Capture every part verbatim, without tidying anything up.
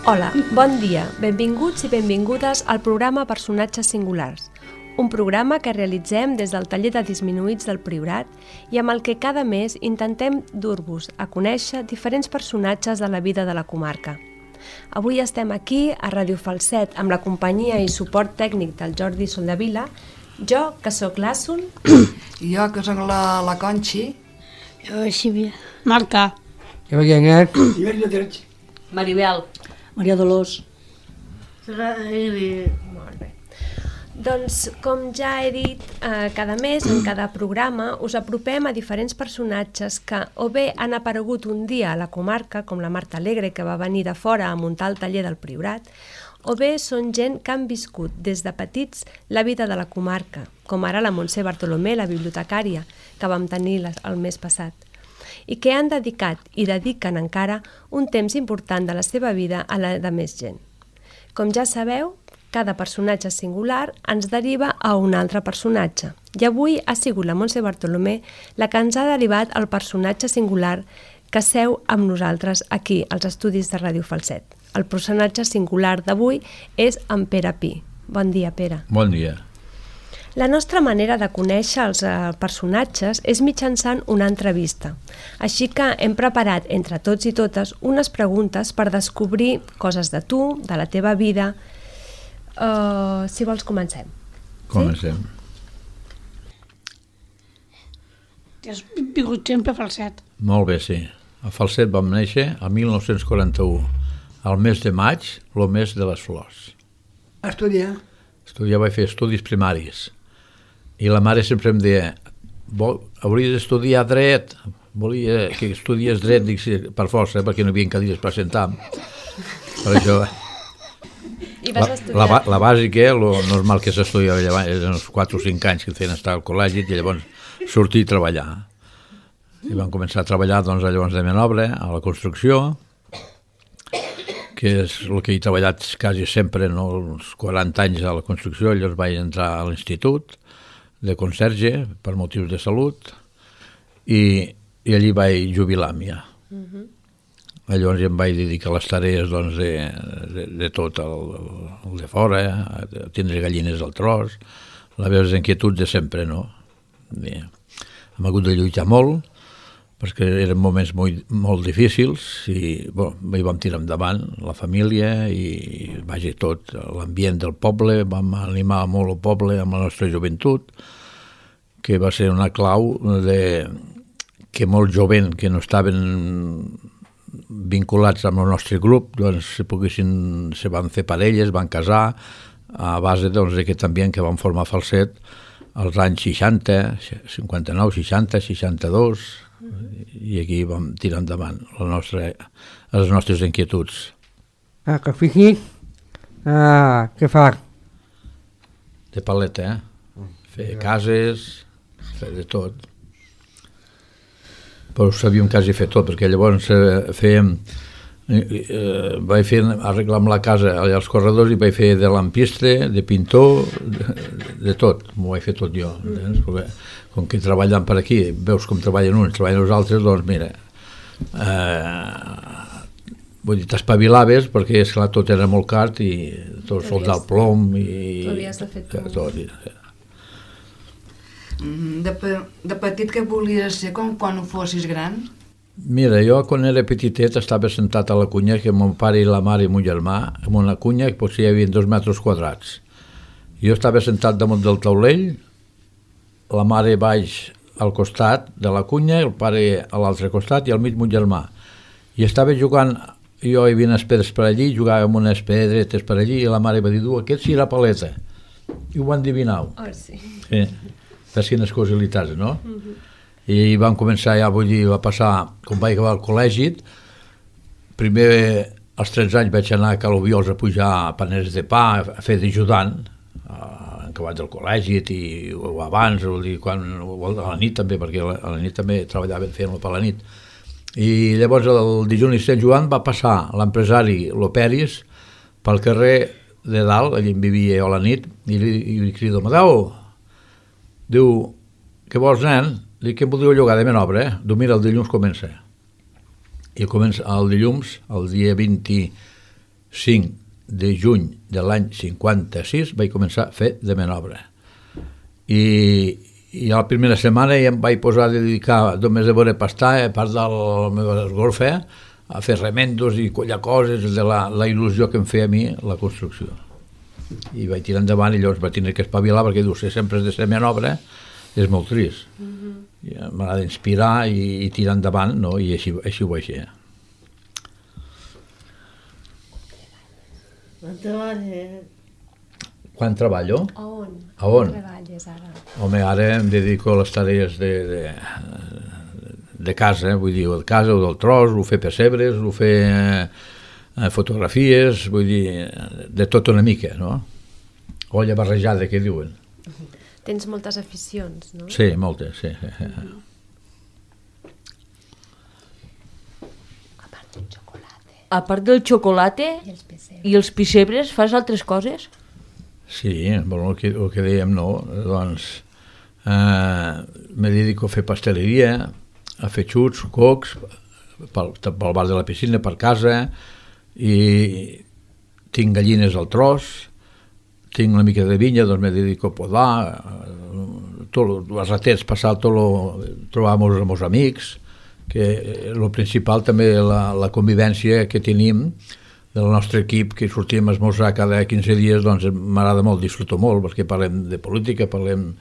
Hola, bon dia, benvinguts i benvingudes al programa Personatges Singulars, un programa que realitzem des del taller de disminuïts del Priorat i amb el que cada mes intentem dur-vos a conèixer diferents personatges de la vida de la comarca. Avui estem aquí a Ràdio Falset amb la companyia i suport tècnic del Jordi Soldevila, jo, que sóc l'Àsson, i jo, que sóc la, la Conxi, jo, Sílvia, Marta, jo, Guianet, i jo, Lletreig, Maribel, Maria Dolors. Molt bé. Doncs, com ja he dit, eh, cada mes, en cada programa, us apropem a diferents personatges que o bé han aparegut un dia a la comarca, com la Marta Alegre, que va venir de fora a muntar el taller del Priorat, o bé són gent que han viscut des de petits la vida de la comarca, com ara la Montse Bartolomé, la bibliotecària, que vam tenir el mes passat, i que han dedicat i dediquen encara un temps important de la seva vida a la de més gent. Com ja sabeu, cada personatge singular ens deriva a un altre personatge, i avui ha sigut la Montse Bartolomé la que ens ha derivat el personatge singular que seu amb nosaltres aquí, als estudis de Ràdio Falset. El personatge singular d'avui és en Pere Pi. Bon dia, Pere. Bon dia. La nostra manera de conèixer els personatges és mitjançant una entrevista. Així que hem preparat entre tots i totes unes preguntes per descobrir coses de tu, de la teva vida. Uh, si vols, comencem. Comencem. Sí? Has vingut sempre a Falset. Molt bé, sí. A Falset vam néixer el mil nou-cents quaranta-u, al mes de maig, el mes de les flors. Estudiar. Estudiar, vaig fer estudis primaris. I la mare sempre em deia, hauries d'estudiar dret, volia que estudies dret, dic, sí, per força, perquè no hi havia cadires per sentar. Per això... I vas la, estudiar? La, la bàsica, el normal que s'estudiava llavors, eren uns quatre o cinc anys que et feien estar al col·legi i llavors sortir i treballar. I vam començar a treballar doncs, llavors de menobre, a la construcció, que és el que he treballat quasi sempre, no? Uns quaranta anys a la construcció. Llavors vaig entrar a l'institut de conserge per motius de salut i, i allí vaig jubilar-me ja. Uh-huh. Llavors em vaig dedicar a les tarees doncs, de, de, de tot el, el de fora, a tindre gallines al tros, les inquietuds de sempre, no? I hem hagut de lluitar molt, perquè eren moments molt, molt difícils i bueno, hi vam tirar endavant, la família i vaja, tot, l'ambient del poble, vam animar molt el poble amb la nostra joventut, que va ser una clau de que molt jovent que no estaven vinculats amb el nostre grup, doncs se poguessin, se van fer parelles, van casar, a base doncs, d'aquest ambient que vam formar Falset als anys seixanta, cinquanta-nou, seixanta, seixanta-dos, i aquí vam tirar endavant la nostra, les nostres inquietuds. Ah, que fiqui? Ah, què fa? De paleta, eh? Fer cases, fer de tot. Però sabíem quasi fer tot, perquè llavors eh, fèiem... Eh, eh, vaig fer arreglar amb la casa allà als corredors i vaig fer de lampistre, de pintor, de, de tot. M'ho vaig fer tot jo. Mm. Perquè, com que treballant per aquí, veus com treballen uns, treballen els altres, doncs mira, eh, vull dir, t'espavilaves perquè, esclar, tot era molt car i tot soldar el plom i... Tu havies de fer tot. tot i, de, de petit que volies ser com quan ho fossis gran? Mira, jo quan era petitet estava sentat a la cunya que mon pare i la mare i mon germà, en una cunya que potser hi havia dos metres quadrats. Jo estava sentat damunt del taulell, la mare baix al costat de la cunya, el pare a l'altre costat i al mig mon germà. I estava jugant, jo hi havia unes pedres per allí, jugava amb unes pedretes per allí i la mare va dir, du, aquest sí era paleta. I ho endivinau. Oh, sí. Sí. Fes quines casualitats, no? Uh-huh. I vam començar ja, vull dir, va passar, com vaig acabar al col·legi, primer als tretze anys vaig anar a Calobiols a pujar paners de pa, a fer d'ajudant, acabat del col·legi i o abans, o dir, quan, o a la nit també, perquè a la nit també treballaven fent-lo per la nit. I llavors el dilluns i Sant Joan va passar l'empresari Loperis pel carrer de dalt, allà en vivia jo a la nit, i li, i li crido, Amadeu, diu, què vols, nen? Dic que em voldria llogar de menobre, eh? Diu, mira, el dilluns comença. I comença el dilluns, el dia vint cinc de juny de l'any cinquanta-sis vaig començar a fer de manobre. I, i a la primera setmana ja em vaig posar a dedicar només a veure pastar, a part de la meva esgorfa, a fer remendos i collar coses de la, la il·lusió que em feia a mi la construcció. I vaig tirar endavant i llavors vaig tenir que espavilar perquè diu, si sempre has de ser manobre, és molt trist. Mm-hmm. M'ha d'inspirar i, i tirar endavant, no? I així, així ho vaig fer. Quan treballo? A on? A on? treballes ara? Home, ara em dedico a les tarees de, de, de casa, eh? Vull dir, de casa o del tros, o fer pessebres, o fer eh, fotografies, vull dir, de tot una mica, no? Olla barrejada, que diuen. Tens moltes aficions, no? Sí, moltes, sí. Mm-hmm. A part del xocolata. A part del xocolata I els pessebres. i els pissebres, fas altres coses? Sí, bueno, el que, el que dèiem, no, doncs eh, me dedico a fer pasteleria, a fer xuts, cocs, pel, pel bar de la piscina, per casa, i tinc gallines al tros, tinc una mica de vinya, doncs me dedico a podar, tot, els ratets, passar tot lo, trobar amb els amics, que el principal també la, la convivència que tenim del nostre equip, que sortim a esmorzar cada quinze dies, doncs m'agrada molt, disfruto molt, perquè parlem de política, parlem,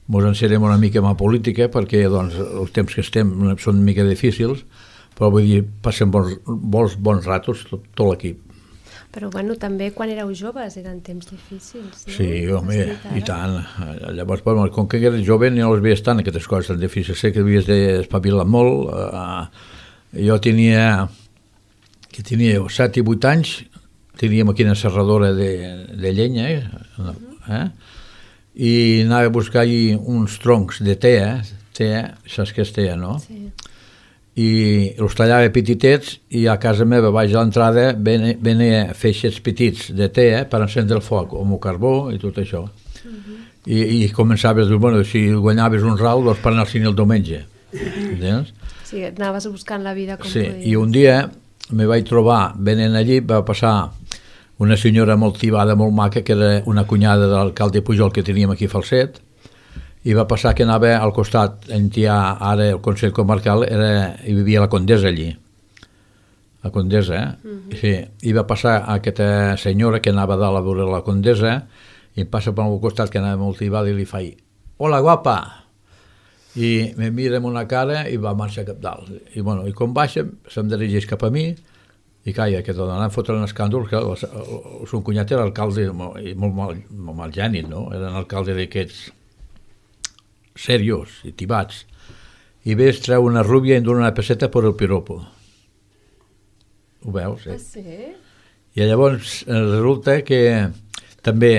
mos encerem una mica amb la política, perquè doncs, els temps que estem són una mica difícils, però vull dir, passem bons, bons, bons ratos tot, tot l'equip. Però bueno, també quan éreu joves eren temps difícils, no? Sí, home, i tant. Llavors, bueno, com que eres jove no les veies tant, aquestes coses tan difícils. Sé que havies d'espavilar molt. Uh, jo tenia, que tenia set i vuit anys, teníem aquí una serradora de, de llenya, eh? eh? I anava a buscar allí uns troncs de tea, tea, saps què és tea, no? Sí. I els tallava petitets i a casa meva, baix a l'entrada, venia feixets petits de tea per encendre el foc, amb el carbó i tot això. Uh-huh. I, i començaves, bueno, si guanyaves un ral, doncs per anar al cine el diumenge. Entens? Sí, anaves buscant la vida com sí. podies. I un dia me vaig trobar, venint allí, va passar una senyora molt tibada, molt maca, que era una cunyada de l'alcalde Pujol que teníem aquí a Falset, i va passar que anava al costat, en hi ha ara el Consell Comarcal, era, hi vivia la Condesa allí, la Condesa, eh? Uh-huh. Sí, i va passar aquesta senyora que anava dalt a veure la Condesa, i em passa per un costat que anava molt tibada i li faig, hola guapa, i me mira amb una cara i va marxar cap dalt, i bueno, i com baixa, se'm dirigeix cap a mi, i calla, que tot anant fotre un escàndol, que el, el, el son cunyat era alcalde, molt, molt, mal, molt mal gènit, no? Era un alcalde d'aquests seriós i tibats, i ves treu una rúbia i em dona una peseta per el piropo. Ho veus? Eh? Ah, sí? I llavors resulta que també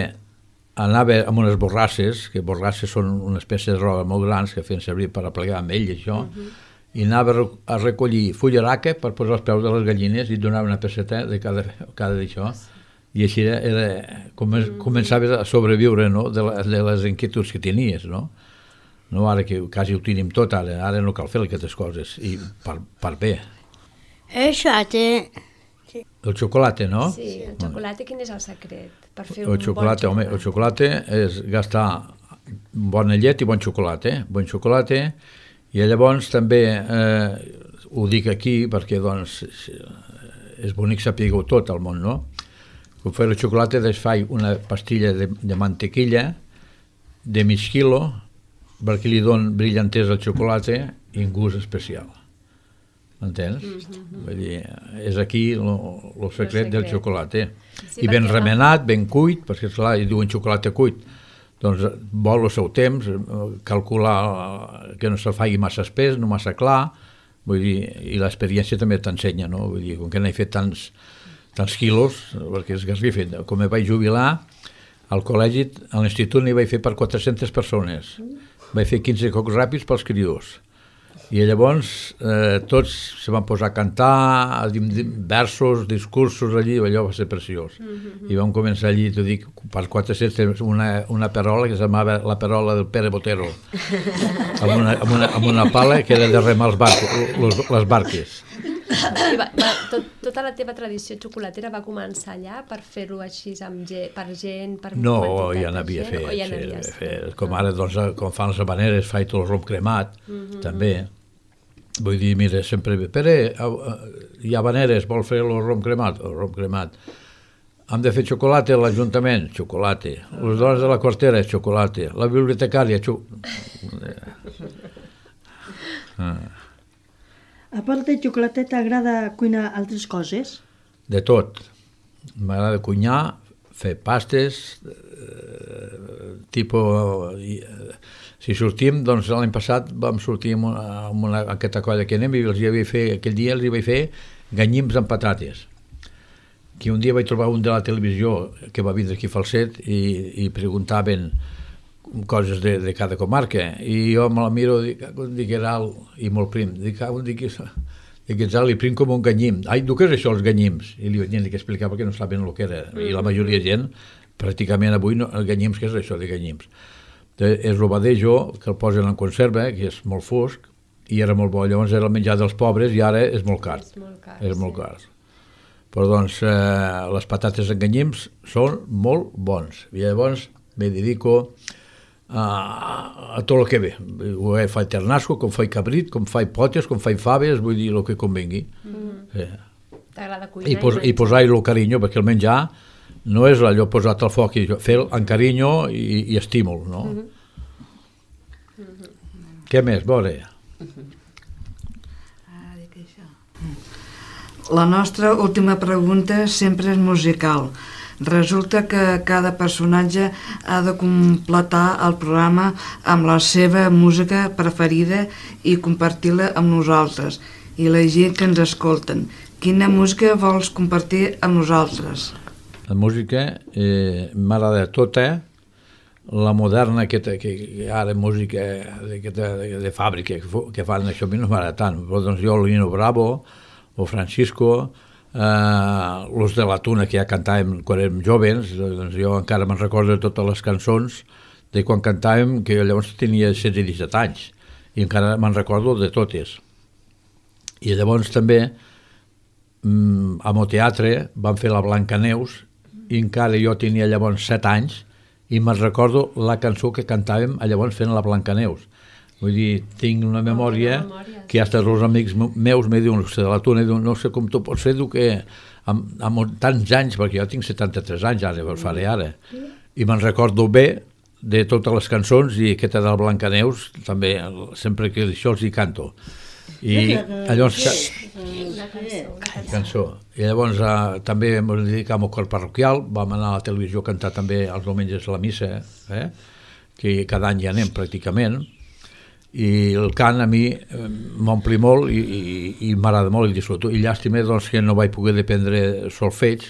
anava amb unes borrasses, que borrasses són una espècie de roba molt grans que feien servir per aplegar amb ell, això, uh-huh. i anava a recollir fullaraca per posar els peus de les gallines i donava una peseta de cada, cada d'això. I així era, era com, uh-huh. començaves a sobreviure, no? de, la, de les inquietuds que tenies, no? No, ara que quasi ho tenim tot, ara, ara no cal fer aquestes coses, i per, per bé. Això té... El xocolata, no? Sí, el xocolata, quin és el secret? Per fer el un xocolata, bon home, el xocolata és gastar bona llet i bon xocolata, eh? bon xocolata, i llavors també, eh, ho dic aquí perquè doncs és bonic saber-ho tot al món, no? Com fer el xocolata, doncs faig una pastilla de, de mantequilla de mig quilo, perquè li don brillantesa al xocolata i un gust especial. M'entens? Mm-hmm. Vull dir, és aquí el secret del xocolata. Sí, I ben remenat, ben cuit, perquè esclar, hi diuen xocolata cuit, doncs vol el seu temps, calcular que no se'l faci massa espès, no massa clar, vull dir, i l'experiència també t'ensenya, no? Vull dir, com que n'he fet tants, tants quilos, perquè és garrifa, com em vaig jubilar, al col·legi, a l'institut n'hi vaig fer per quatre-centes persones. Vaig fer quinze cocs ràpids pels criadors. I llavors eh, tots se van posar a cantar, a dir versos, discursos allí, allò va ser preciós. Mm-hmm. I vam començar allí, t'ho dic, per quatre-cents, una, una perola que s'amava la perola del Pere Botero, amb una, amb, una, amb una pala que era de remar els barcos, les, les barques. I va, va, tot, tota la teva tradició xocolatera va començar allà per fer-ho així amb gent, per gent, per No, quantitat ja de n'havia gent, fet, o ja sí, n'havies fet, fet. Com ara, doncs, com fan les habaneres, faig tot el rom cremat, Mhm. també. Vull dir, mira, sempre... Pere, hi ha habaneres, vol fer el rom cremat? El rom cremat. Hem de fer xocolata a l'Ajuntament? Xocolata. Les dones de la quartera? Xocolata. La bibliotecària? Xo... Ah. A part de xocolata, t'agrada cuinar altres coses? De tot. M'agrada cuinar, fer pastes, eh, tipus... Eh, si sortim, doncs l'any passat vam sortir amb, una, amb una, aquesta colla que anem i els hi vaig fer, aquell dia els hi vaig fer ganyims amb patates. Que un dia vaig trobar un de la televisió que va vindre aquí a Falset i, i preguntaven coses de, de cada comarca i jo me la miro i dic, dic era alt i molt prim. Dic, dic, dic ets alt i prim com un ganyim. Ai, tu què és això, els ganyims? I li vaig dir que explicar perquè no saben el que era. I la majoria de gent, pràcticament avui, no, ganyims, què és això de ganyims? És el badejo que el posen en conserva, que és molt fosc, i era molt bo. Llavors era el menjar dels pobres i ara és molt car. És molt car, és sí. molt car. Però doncs eh, les patates en ganyims són molt bons. I llavors me dedico a, a tot el que ve. Ho faig ternasco, com faig cabrit, com faig potes, com faig faves, vull dir el que convengui. Mhm. Sí. T'agrada cuinar I, pos, i i posar-hi el carinyo, perquè el menjar no és allò posat al foc, i fer-lo amb carinyo i, i estímul, no? Mhm. Què més, veure? La nostra última pregunta sempre és musical. Resulta que cada personatge ha de completar el programa amb la seva música preferida i compartir-la amb nosaltres i la gent que ens escolten. Quina música vols compartir amb nosaltres? La música eh, m'agrada tota, la moderna que, que, que ara música de, de, de fàbrica que, que fan això a mi no m'agrada tant, però doncs jo Lino Bravo o Francisco, eh, los de la Tuna que ja cantàvem quan érem joves, doncs jo encara me'n recordo de totes les cançons de quan cantàvem, que llavors tenia setze o disset anys i encara me'n recordo de totes. I llavors també mm, a Mo Teatre van fer la Blancaneus i encara jo tenia llavors set anys i me'n recordo la cançó que cantàvem llavors fent la Blancaneus. Vull dir, tinc una memòria, oh, memòria que hasta els amics meus me diuen de la Tuna, diuen, no sé com tu pots fer, que amb, amb tants anys, perquè jo tinc setanta-tres anys ara, per faré ara, i me'n recordo bé de totes les cançons i aquesta de la Blancaneus, també, sempre que això els hi canto. I llavors... Una cançó, una cançó. I llavors eh, també ens dedicam al cor parroquial, vam anar a la televisió a cantar també els diumenges a la missa, eh? Que cada any hi anem pràcticament, i el cant a mi eh, m'ompli molt i, i, i m'agrada molt i disfruto. I llàstima doncs, que no vaig poder dependre solfeig,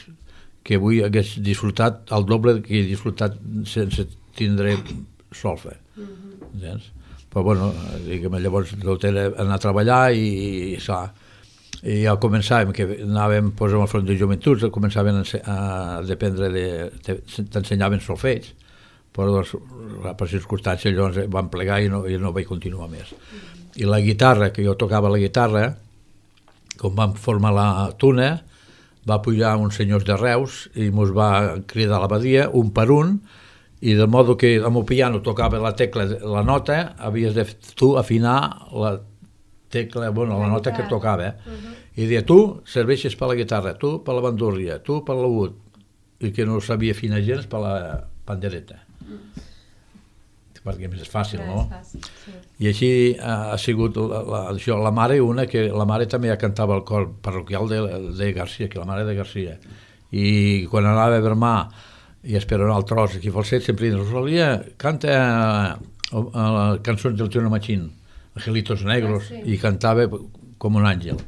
que avui hagués disfrutat el doble que he disfrutat sense tindre solfe. Mm-hmm. Però bueno, diguem, llavors tot era anar a treballar i, i, i ja començàvem, que anàvem pues, al front de joventuts, començàvem a dependre de, de t'ensenyaven solfeig, però doncs, per circumstàncies llavors van plegar i no, i no vaig continuar més. I la guitarra, que jo tocava la guitarra, com vam formar la Tuna, va pujar uns senyors de Reus i ens va cridar a l'abadia, un per un, i de modo que amb el piano tocava la tecla, la nota, havies de tu afinar la tecla, bueno, la nota que tocava. Uh-huh. I deia, tu serveixes per la guitarra, tu per la bandúrria, tu per l'oud, i que no sabia afinar gens per la pandereta. Mm. Perquè és fàcil, no? És fàcil, sí. I així ha sigut la, la, això, la mare, una que la mare també ja cantava el cor parroquial de, de Garcia, que la mare de Garcia. I quan anava a Vermà i esperar el tros aquí a Falset, sempre diuen, Rosalia, canta a, a, a cançons del Tino Machín, Angelitos Negros, ah, sí. I cantava com un àngel.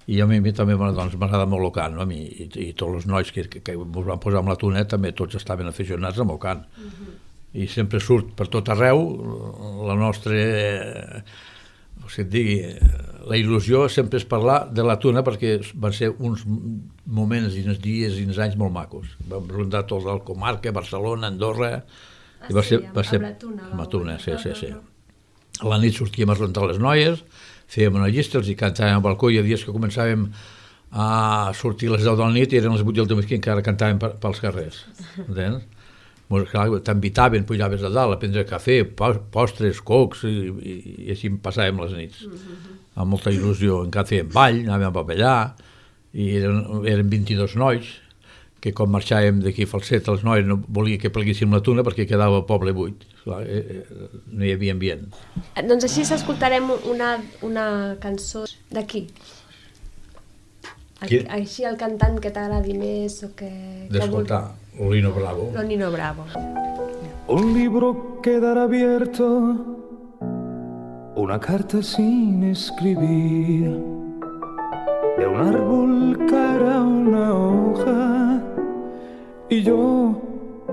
I a mi, a mi també doncs, m'agrada molt el cant, no? A mi, i, i tots els nois que, que, que ens van posar amb la Tuna també tots estaven aficionats amb el cant. Uh-huh. I sempre surt per tot arreu la nostra, eh, o sigui, digui, la il·lusió sempre és parlar de la Tuna perquè van ser uns moments i uns dies i uns anys molt macos. Vam rondar tot el comarca, Barcelona, Andorra, ah, i va ser, sí, va ser amb la Tuna. amb la Tuna, sí, sí, sí. A la nit sortíem a rondar les noies, fèiem una llista, els hi cantàvem al balcó, hi ha dies que començàvem a sortir a les deu de la nit i eren les vuit del matí i encara cantàvem per, pels carrers. Entens? T'invitaven, pujaves a dalt a prendre cafè, postres, cocs, i, i, i així passàvem les nits. Amb molta il·lusió. Encara fèiem ball, anàvem a ballar, i eren, eren vint-i-dos nois, que quan marxàvem d'aquí a Falset, els nois no volia que pleguéssim la tuna perquè quedava el poble buit. Clar, eh, eh, no hi havia ambient. Doncs així s'escoltarem una, una cançó d'aquí. Així el cantant que t'agradi més o que... D'escoltar, Lino Bravo. Lino Bravo. Un libro quedará abierto, una carta sin escribir. De un árbol caerá una hoja y yo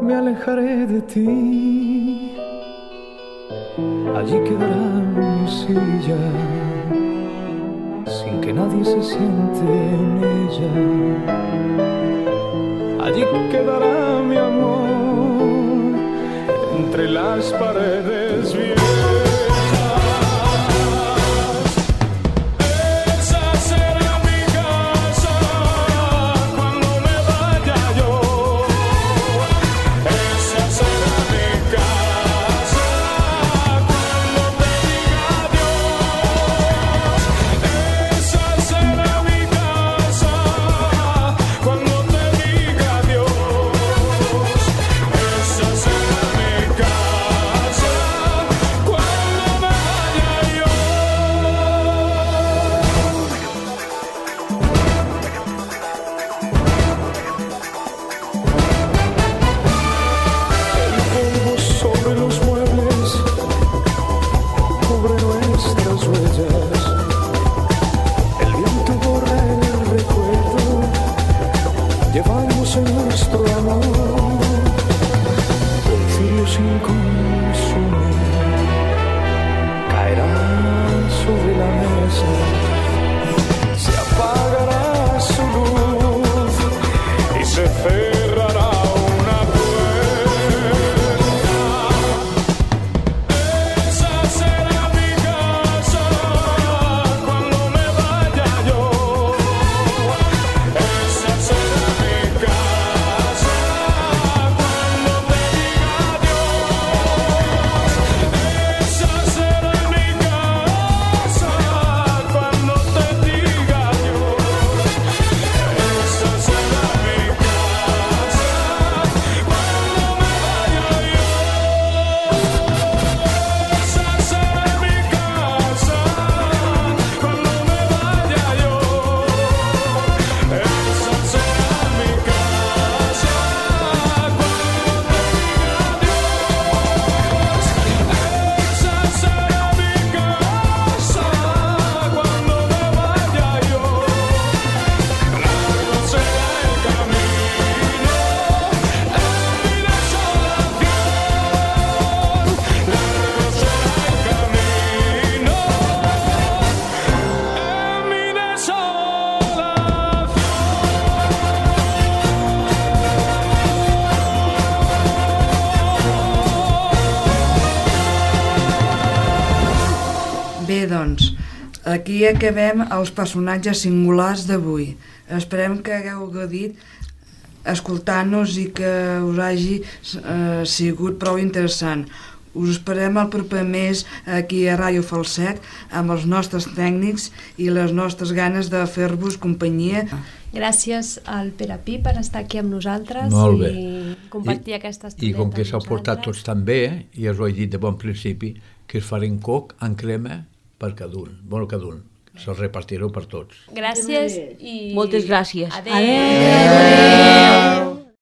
me alejaré de ti. Allí quedará mi silla sin que nadie se siente en ella. Allí quedará mi amor entre las paredes viejas. Doncs, aquí acabem els personatges singulars d'avui. Esperem que hagueu gaudit escoltant-nos i que us hagi eh, sigut prou interessant. Us esperem el proper mes aquí a Ràdio Falset amb els nostres tècnics i les nostres ganes de fer-vos companyia. Gràcies al Pere Pi per estar aquí amb nosaltres i compartir I, aquesta estona. I com que s'heu portat tots tan bé, i us ho he dit de bon principi, que es farem coc en crema per cada un, bueno, cada un, se'ls repartireu per tots. Gràcies i... Moltes gràcies. Adéu. Adéu. Adéu.